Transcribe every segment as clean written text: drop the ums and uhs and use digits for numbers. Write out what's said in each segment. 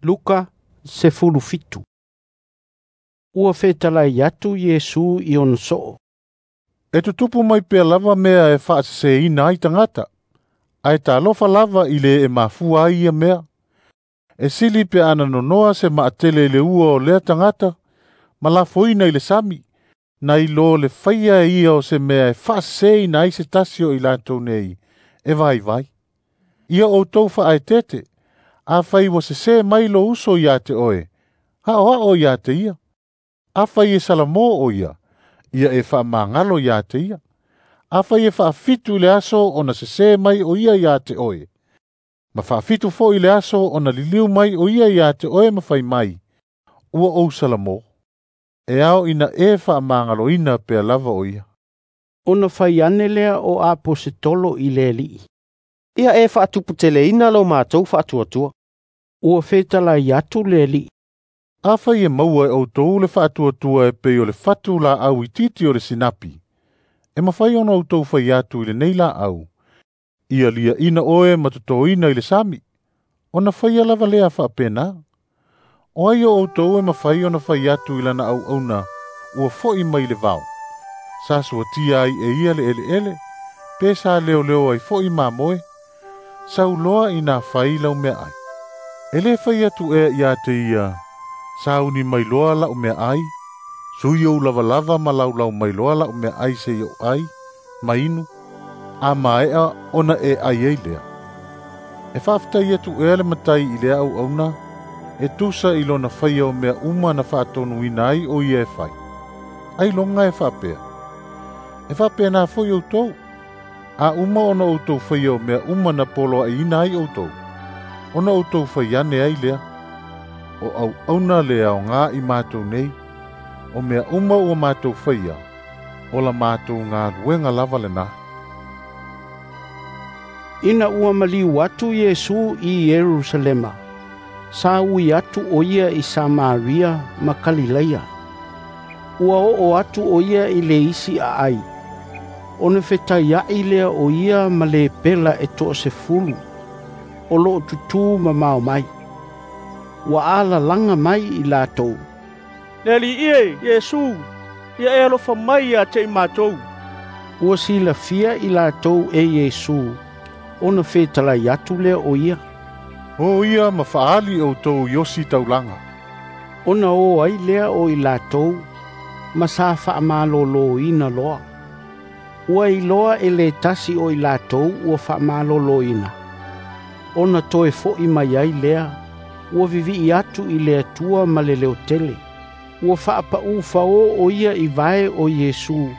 Luka 17. Ua fetalai atu Iesu i ona soo. E tutupu mai pea lava mea e faaseseina ai tagata, ae talofa lava i le e mafua ai ia mea. E sili pe ana nonoa se maatele i le ua o lea tagata, ma lafoina i le sami, nai lo le faia e ia o se mea e faaseseina ai se tasi o i latou nei, e vaivai. Ia outou faaeteete, afai ua sesē mai lou uso ia te oe, aoao ia te ia. Afai e salamo o ia, ia e faamagalo ia te ia. Afai e faafitu i le aso ona sesē mai o ia ia te oe, ma faafitu foi i le aso ona liliu mai o ia ia te oe ma fai mai, ua ou salamo. E ao ina e faamagaloina pea lava o ia. Ona fai ane lea o aposetolo i le Alii. Ia e faatuputeleina lo matou faatuatua. Ua fetalai atu le Alii. Afai e maua e outou le faatuatua e pei o le fatu laau itiiti o le sinapi, e mafai ona outou fai atu i lenei laau, ia liaina oe ma totoina i le sami, ona faia lava lea faapena. O ai o outou e mafai ona fai atu i lana auauna ua foi mai le vao, sa suatia ai e ia le eleele, pe sa leoleo ai foi mamoe, sauloa ina fai lau meaai. E le fai atu ea ia te ia, sauni mai loa lau meaai, sui ou lavalava ma laulau mai loa lau meaai se i ou ai, ma inu, a maea ona e ai ai lea. E faafetai atu ea le matai i lea auauna, e tusa i lona faia o mea uma na faatonuina ai o ia e fai. Ailoga e faapea. E faapena foi outou. A uma ona outou faia o mea uma na poloaiina ai outou, ona outou fai ane ai lea. O auauna le aoga i matou nei, o mea uma ua matou faia, o la matou galuega lava lena. Ina ua maliu atu Iesu i Ierusalema, sa ui atu o ia i Samaria ma Kalilaia. Ua oo atu o ia i le isi aai, ona fetaiai lea o ia ma le pela e 10, o loo tutū mamao mai. Ua alalaga mai i latou. Le Alii e, Iesu, ia e alofa mai ia te i matou. Ua silafia i latou e Iesu, ona fetalai atu lea o ia. O ia ma faali outou i osi taulaga. Ona o ai lea o i latou, ma sa faamaloloina loa. Ua iloa e le tasi o i latou ua faamaloloina. Ona toe foi mai ai lea, ua vivii atu i le Atua ma le leotele. Ua faapau fao o ia i vae o Iesu,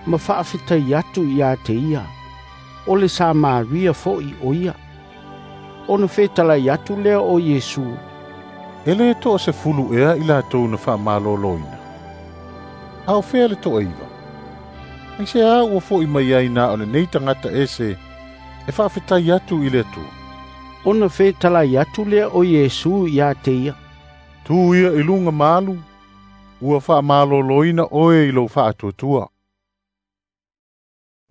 ma faafetai atu ia te ia. O le Samaria foi o ia. Ona fetalai atu lea o Iesu. E le 10 ea i latou na faamaloloina. A o fea le 9? Ai se a ua foi mai ai na o lenei tagata ese e faafetai atu i le Atua. Ona fetalai atu lea o Iesu ia te ia. Tu ia i luga malu, ua faamaloloina oe i lou faatuatua.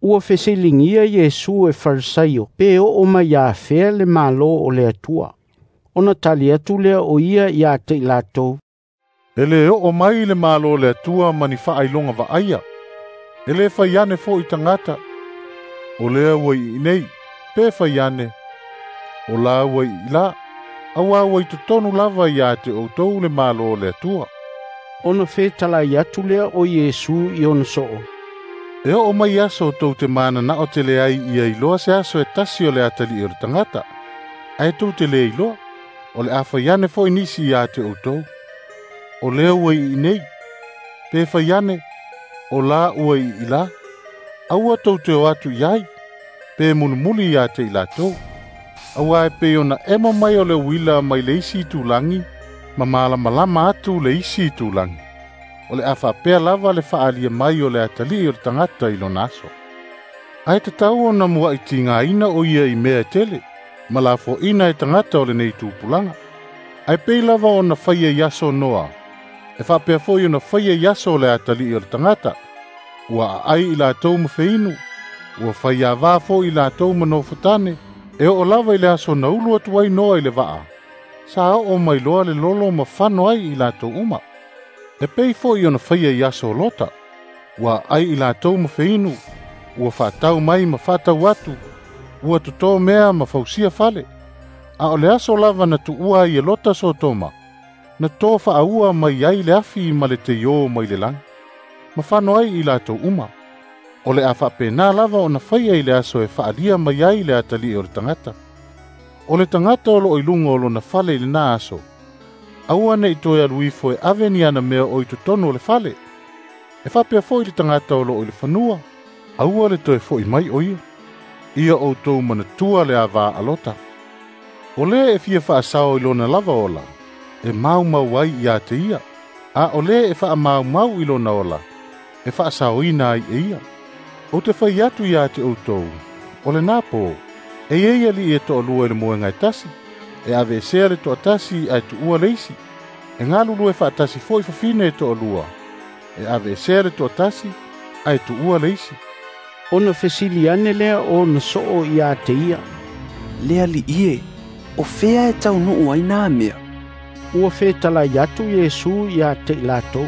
Ua fesiligia Iesu e Farisaio pe oo mai afea le malo o le Atua. Ona tali atu lea o ia ia te i latou. E le oo mai le malo o le Atua ma ni faailoga vaaia. E le fai ane foi tagata. O lea ua i nei, pe fai ane. O la ua i la, auā ua i totonu lava ia te outou le malo o le Atua. Ona fetalai atu lea o Iesu i ona soo. E oo mai aso tou te mananao tele ai ia iloa se aso e tasi o le atalii o le tagata. Ae tou te le iloa, o le a fai ane foi nisi ia te outou. O lea ua i nei, pe fai ane, o la ua i la, aua tou te o atu i ai, pe mulimuli ia te i latou. Auā e pei ona emo mai o le uila mai le isi itulagi, ma malamalama atu le isi itulagi. O le a faapea lava le faalia mai o le atalii o le tagata i lona aso. Ae tatau ona muai tigaina o ia i mea e tele, ma lafoaina e tagata o lenei tupulaga. Ae pei lava ona faia i aso Noa, e faapea foi ona faia i aso o le atalii o le tagata. Ua aai i latou ma feinu, ua faiavā foi i latou ma nofotane, e oo lava i le aso na ulu atu ai Noa i le vaa. Sa oo mai loa le lolo ma fano ai i latou uma. E pei fo'i ona faia i aso o Lota, ua ai i latou ma feinu, ua faatau mai ma faatau atu, ua totō mea ma fausia fale. A o le aso lava na tuua ai e Lota Sotoma, na tō faaua mai ai le afi ma le teiō mai le lagi, ma fano ai i latou uma. O le a faapena lava ona faia i le aso e faalia mai ai le atalii o le tagata. O le tagata o loo i luga o lona fale i lena aso, aua nei toe alu ifo e ave ni ana mea o i totonu o le fale. E faapea foi le tagata o loo i le fanua, aua le toe fo'i mai o ia. Ia outou manatua le avā a Lota. O lē e fia faasao i lona lava ola, e maumau ai ia te ia, a o lē e faamaumau i lona ola, e faasaoina ai e ia. Ou te fai atu ia te outou, o lenā pō, e iai alii e toalua i le moega e tasi, e aveesea le toatasi ae tuua le isi. E galulue faatasi foi fafine e toalua, e aveesea le toatasi ae tuua le isi. Ona fesili ane lea o ona soo ia te ia, Le Alii e, o fea e taunuu ai nā mea? Ua fetalai atu Iesu ia te i latou,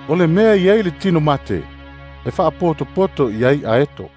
O le mea i ai le tino mate, e faapotopoto i ai aeto.